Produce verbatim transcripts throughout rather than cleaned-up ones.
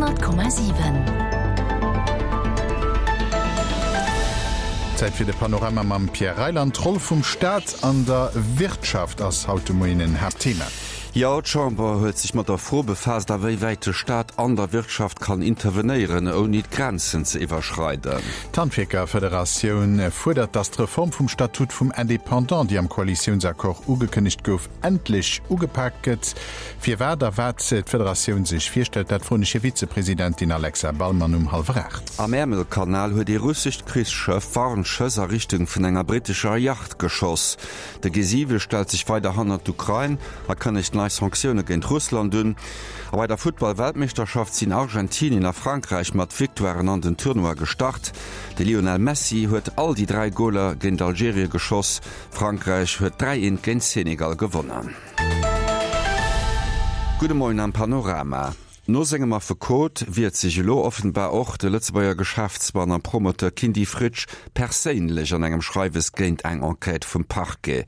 Honnert Komma siwen. Zäit fir de Panorama mam Pierre Reyland. D'Roll vum Staat an der Wirtschaft ass haut de Moien en Haaptthema. Jo, d'Chamber huet sech mat der Fro befaasst, a wéi wäit de Staat an der Wirtschaft kann intervenéieren, ouni d'Grenzen ze iwwerschreiden. D'Handwierkerfederatioun fuerdert, datt d'Reform vum Statut vum Indépendant, déi am Koalitiounsaccord ugekënnegt gouf, endlech ugepak gëtt. Firwat a wat d'Federatioun sech virstellt, dat froen ech hir Vizepresidentin Alexa Ballmann um hallwer aacht. Am Äermelkanal huet ee russescht Krichsschëff Warnschëss a Richtung vun enger brittescher Yacht geschoss. De G siwe stellt sech weider hannert d'Ukrain a kënnegt nei Sanktioune géint Russland un. A bei der Futtball-Weltmeeschterschaft sinn Argentinien a Frankräich mat Victoiren an den Tournoi gestart. De Lionel Messi huet all déi dräi Goler géint Algerie geschoss. Frankräich huet dräi eent géint Senegal gewonnen. Gudde Moien am Panorama. No sengem Affekot wiert sech elo offenbar och de Lëtzebuerger Geschäftsmann a Promoteur Kindy Fritsch perséinlech an engem Schreiwes géint eng Enquête vum Parquet.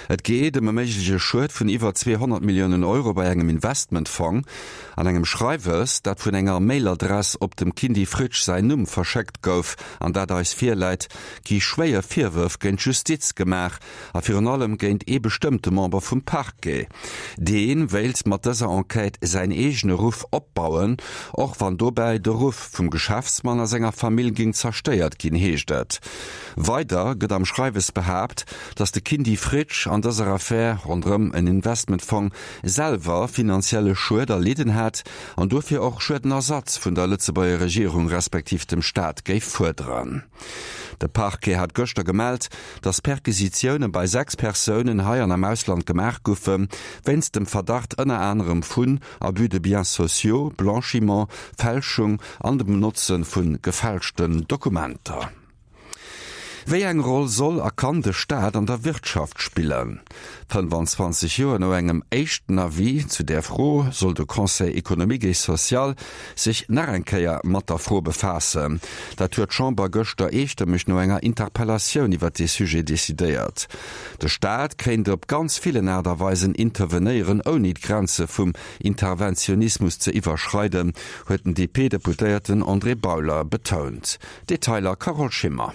Et geet ëm e méigleche Schued vun iwwer zweehonnert Milliounen Euro bei engem Investmentfong. An engem Schreiwes, dat vun enger Mailadress op dem Kindy Fritsch säin Numm verschéckt gouf an dat eis virläit, gi schwéier Virwërf géint d'Justiz gemaach a virun allem géint ee bestëmmte Member vum Parquet. Dee wéilt mat dëser Enquête säin eegene Ruff opbauen, och wann dobäi de Ruff vum Geschäftsmann a senger Famill géing zerstéiert ginn, heescht et. Weider gëtt am Schreiwes behaapt, datt de Kindy Fritsch an dëser Affär ronderëm en Investmentfong selwer finanzielle Schued erlidden hätt an dofir och Schuedenersatz vun der Lëtzebuerger Regierung respektiv dem Staat géif fuerderen. De Parquet hat gëschter gemellt, datt Perquisitioune bei sechs Persounen hei an am Ausland gemaach goufe wéinst dem Verdacht ënner anerem vun Abus de biens sociaux, Blanchiment, Fälschung an dem Benotze vu gefälschten Dokumenter. Wéi eng Roll soll a kann de Staat an der Wirtschaft spillen? fënnefanzwanzeg Joer no engem éischten Avis zu där Fro soll de Conseil économique et social sech nach eng Kéier mat der Fro befaassen. Dat huet d'Chamber gëschter eestëmmeg no enger Interpellatioun iwwer dee Sujet decidéiert. De Staat kéint op ganz villen Aart a Weisen intervenéieren, ouni d'Grenze vum Interventionismus ze iwwerschreiden, huet den D P-Deputéierten André Bauler betount. Detailer Carole Schimmer.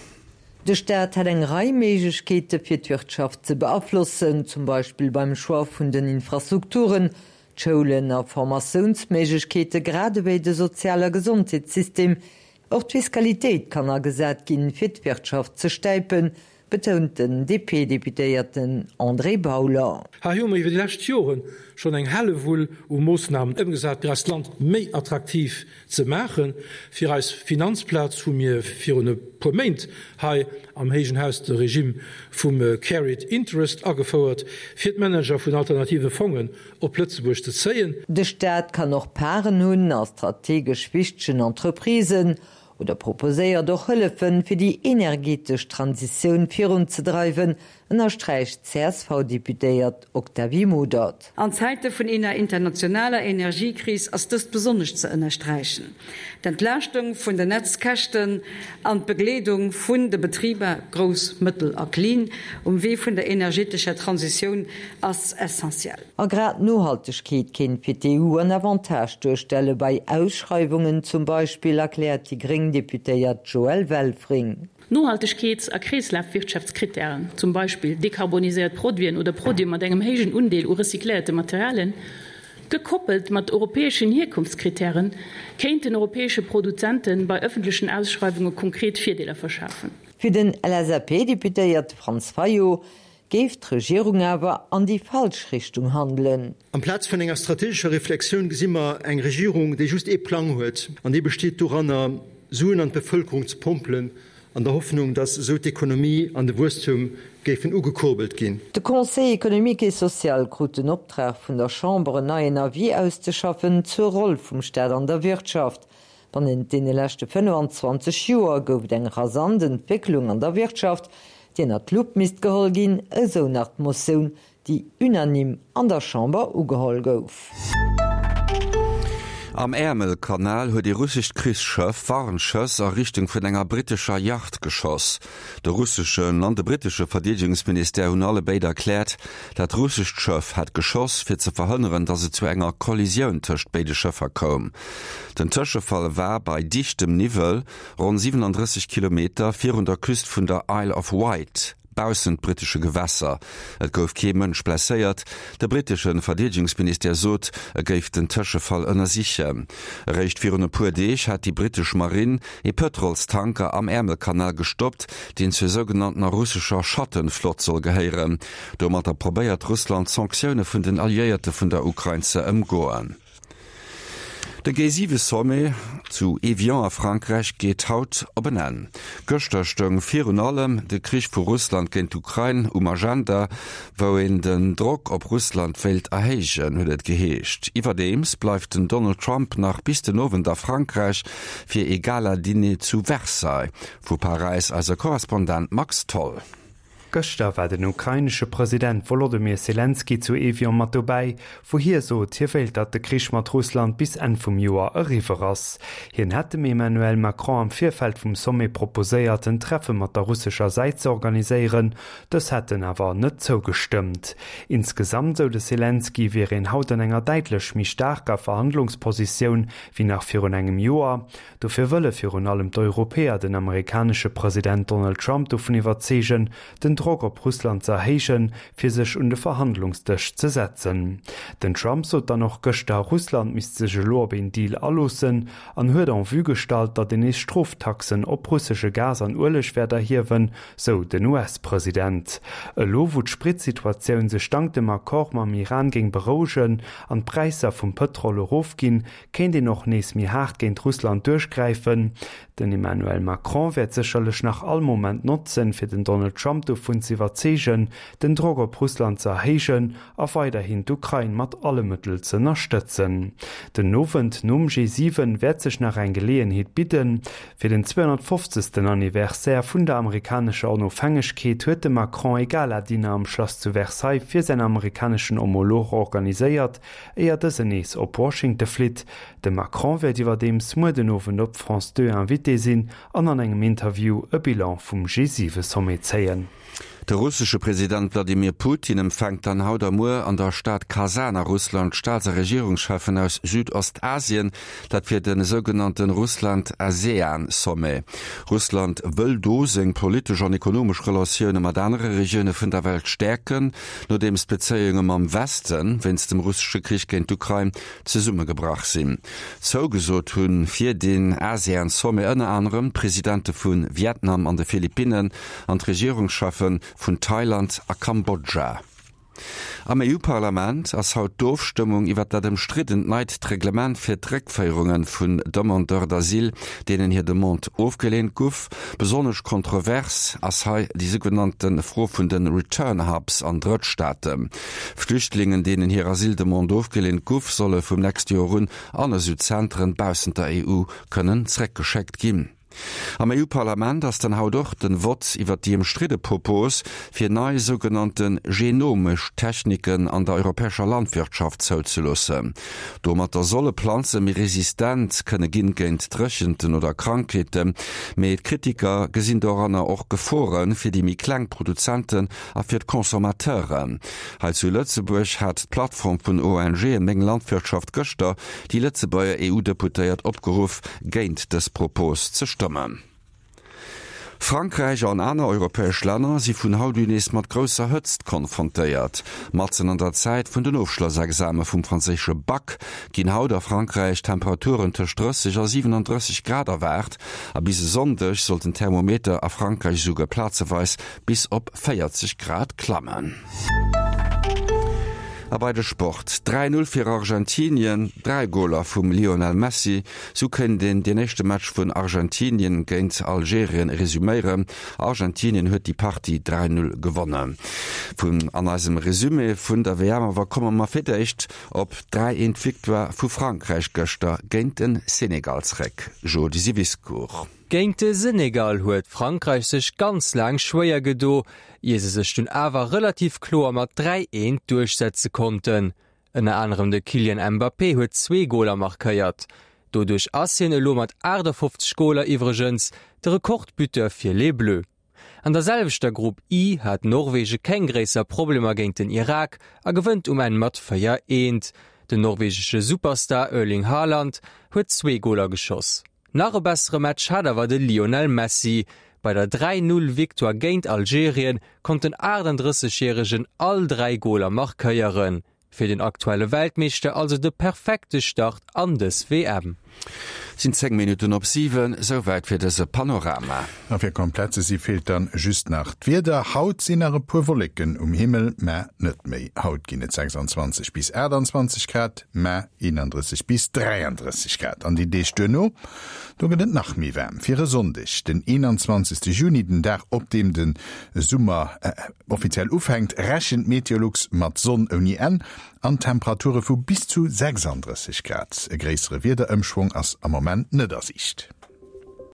De Staat hätt eng Rei Méiglechkeete fir d'Wirtschaft ze beaflossen, zum Beispill beim Choix vun den Infrastrukturen, d'Schoulen a Formatiounsméiglechkeete grad ewéi de Sozial a Gesondheetssystem. Och d'Fiskalitéit kann agesat ginn, fir d'Wirtschaft ze stäipen, betount den D P-Deputéierten André Bauler. Hei hu mer iwwer déi lescht Joren schonn eng Hellewull u Moossnamen ëmgesat, fir eist Land méi attraktiv ze maachen. Fir eis Finanzplaz hu mir virun e puer Méint hei am héijen Haus de Regime vum Carried Interest agefouert, fir d'Manager vun alternative Fongen op Lëtzebuerg ze zéien. De Staat kann och Parten hunn a strategesch wichtegen Entreprisen oder proposéiert och Hëllefen, fir déi energetesch Transitioun virunzedreiwen, ënnersträicht d'C S V-Deputéiert Octavie Modert. An Zäite vun enger internationaler Energiekris ass dëst besonnesch ze ënnersträichen. D'Entlaaschtung vun den Netzkäschten an d'Begleedung vun de Betriber, grouss, mëttel a klin, um Wee vun der energetescher Transitioun ass essentiell. A grad d'Nohaltegkeet kéint fir d'E U en Avantage duerstelle bei Ausschreiwungen zum Beispill, erkläert déi gréng Deputéiert Joëlle Welfring. Nohaltegkeets a Kreeslafwirtschaftskrittären, zum Beispill dekarboniséiert Produiten oder Produite mat engem héijen Undeel u recycléierte Materialien, gekoppelt mat europäeschen Hierkonftskrittären, kéinten europäesche Produzente bei ëffentlechen Ausschreiwunge konkret Virdeeler verschafen. Fir den L S A P-Deputéierte Franz Fayot géif d'Regierung awer an déi falsch Richtung handelen. Amplaz vun enger strategescher Reflexioun gesi mer eng Regierung, déi just ee Plang huet, an dee besteet doranner, Suen an d'Bevëlkerung ze pompelen, an der Hoffnung, dass esou d'Ekonomie an de Wuesstum géifen ugekurbelt ginn. De Conseil économique et social krut den Optrag vun der Chamber en neien Avis auszeschaffen zur Roll vum Staat an der Wirtschaft. Bannent deene leschte fënnefenzwanzeg Joer gouf et eng rasant Entwécklung an der Wirtschaft, déi ënnert d'Lupp misst geholl ginn, esou nach d'Motioun, déi unanime an der Chamber ugeholl gouf. Am Äermelkanal huet ee russescht Krichsschëff Warnschëss a Richtung vun enger brittescher Yacht geschoss. De russeschen an de brittesche Verdeedegungsministère hunn allebéid erkläert, dat russescht Schëff hätt geschoss, fir ze verhënneren, datt et zu enger Kollisioun tëscht béide Schëffer koum. Den Tëschefall war bei dichtem Niwwel, ronn siwenandrësseg Kilometer virun der Küst vun der Isle of Wight. Baussent brittesche Gewässer. Et gouf kee Mënsch blesséiert. De brittesche Verdeedegungsministère sot, e géif den Tëschefall ënnersichen. Eréischt virun e puer Deeg hat déi brittesch Marinn ee Pëtrolstanker am Äermelkanal gestoppt, deen zur sougenanntener russescher Schattenflott soll gehéieren. Domatter probéiert Russland d'Sanktioune vun den Alliéierte vun der Ukrain ze ëmgoen. De G siwe Sommet zu Evian a Frankräich geet haut op en Enn. Gëschter stoung virun allem de Krich vu Russland géint d'Ukrain um Agenda, wou een den Drock op Russland wéilt erhéijen, huet et geheescht. Iwwerdeems bleift den Donald Trump nach bis den Owend a Frankräich fir ee Gala-Diner zu Versailles. Vu Paräis eise Korrespondent Max Tholl. Gëschter war den ukrainesche President Wolodymyr Selenskyj zu Evian mat dobäi, wou hie sot, hie wéilt, datt de Krich mat Russland bis Enn vum Joer eriwwer ass. Hien hätt dem Emmanuel Macron am Virfeld vum Sommet proposéiert, en Treffe mat der russescher Säit ze organiséieren, dës hätten awer net zougestëmmt. Insgesamt, sou de Selenskyj, wier een haut an enger däitlech méi staarker Verhandlungspositioun wéi nach virun engem Joer. Dofir wëlle virun allem d'Europäer den amerikanesche President Donald Trump dovun iwwerzeegen, den Drock op Russland ze erhéijen, fir sech un de Verhandlungsdësch ze setzen. Den Trump sot dann och gëschter, Russland misst sech elo op een Deal aloossen an huet en vue gestallt, datt een nees Stroftaxen op russesche Gas an Ueleg wäert erhiewen, sou den U S-President. Elo wou d'Spritsituatioun sech dank dem Accord mam Iran géing berouegen an d'Präisser vum Pëtrol erofginn, kéint een och nees méi haart géint Russland duerchgräifen. Den Emmanuel Macron wäert sécherlech nach all Moment notzen, fir den Donald Trump dovun ze iwwerzeegen, den Drock op Russland ze erhéijen a weiderhin d'Ukrain mat alle Mëttel ze ënnerstëtzen. Den Owend nom G siwen wäert sech nach eng Geleeënheet bidden. Fir den zweehonnertfofzegsten Anniversaire vun der amerikanescher Onofhängegkeet huet de Macron e Gala-Dinner am Schlass zu Versailles fir säin amerikaneschen Homolog organiséiert, éier dësen nees op Washington flitt. De Macron wäert iwwerdeems muer den Owend op France Deux Invité sinn an an engem Interview e Bilan vum G siwe Sommet zéien. De russesche President Wladimir Putin empfänkt dann haut a muer an der Stad Kasan a Russland d'Staats a Regierungscheffen aus Südostasien, dat fir de sougenannte Russland-ASEAN-Sommet. Russland wëll do seng politesch an ekonomesch Relatioune mat anere Regioune vun der Welt stäerken, nodeems d'Bezéiunge mam Weste wéinst dem russesche Krich géint d'Ukrain zesummegebrach sinn. Zougesot hu fir den ASEAN-Sommet ënner anerem d'Presidente vu Vietnam an de Philippinnen an d'Regierungscheffe vun Thailand a Kambodscha. Am E U-Parlament ass haut d'Ofstëmmung iwwer dat ëmstriddent neit Reglement fir d'Réckféierunge vun Demandeurs d'asile, deenen hir Demande ofgeleent gouf. Besonnesch kontrovers ass hei déi sougenannte Fro vun de Return Hubs an Drëttstaaten. Flüchtlingen, deenen hir Asyldemande ofgeleent gouf, solle vum nächste Joer un an esou Zentren baussent der E U kënnen zeréckgeschéckt ginn. Am E U-Parlament ass dann haut och den Vott iwwer déi ëmstridde Propos, fir nei sougenannte genomesch Techniken an der europäescher Landwirtschaft zouzeloossen. Domatter solle Planze méi resistent kënne ginn géint Dréchenten oder Krankheeten, mee d'Kritiker gesinn doranner och Gefore fir déi méi kleng Produzenten a fir d'Consommateuren. Hei zu Lëtzebuerg hat d'Plattform vun O N G Meng Landwirtschaft gëschter déi Lëtzebuerger E U-Deputéiert opgeruff, géint dës Propos ze stëmmen. Frankräich an aner europäesch Länner si vun haut un nees mat grousser Hëtzt konfrontéiert. Matzen an der Zäit vun den Ofschlossexame vum franséische Bac ginn haut a Frankräich Temperaturen tëscht drësseg a siwenandrësseg Grad erwaart a bis e Sonndeg soll den Thermometer a Frankräich esouguer plazeweis bis op véierzeg Grad klammen. A bei de Sport, dräi Null fir Argentinien, dräi Goler vum Lionel Messi, sou kéint een deen éischte Match vun Argentinien géint Algerien resuméieren. Argentinien huet déi Partie dräi Null gewonnen. Vun an eisem Resumé vun der W M awer komme mer fir d'éischt op d'dräi eent Victoire vu Frankräich gëschter géint de Senegal zréck. Jody Siviscourt. Géint de Senegal huet Frankräich sech ganz laang schwéier gedo, ier se sech dunn awer relativ kloer mat dräi eent duerchsetze konnten. Ënner anerem de Kylian Mbappé huet zwee Goler markéiert. Doduerch ass hien elo mat achtafofzeg Goler iwwregens de Rekordbuteur fir Les Bleus. An der selwechter Grupp I hat Norwege keng gréisser Problemer géint den Irak a gewënnt um Enn mat véier, eent. Den norwegesche Superstar Erling Haaland huet zwee Goler geschoss. Nach e bessere Match hat awer de Lionel Messi. Bei der dräi Null Victoire géint Algerien konnt den achtandrësseg Järegen all dräi Goler markéieren. Fir den aktuelle Weltmeeschter also de perfekte Start an dës W M. Et sinn zéng Minutten op siwen, souwäit fir dëse Panorama. A fir komplett ze si feelt dann just nach d'Wieder. Haut sinn nach e puer Wolleken um Himmel, mä net méi. Haut ginn et sechsundzwanzeg bis aachtundzwanzeg Grad, mä eenandrësseg bis dräiandrësseg Grad. An déi Deeg duerno, do gëtt et nach méi waarm. Fir e Sonndeg, den eenanzwanzegste Juni, den Dag op deem de Summer offiziell ufänkt, rechent Meteolux mat Sonn ouni Enn an Temperature vu bis zu sechsandrësseg Grad. E gréissere Wiederëmschwong ass am Moment net a Siicht.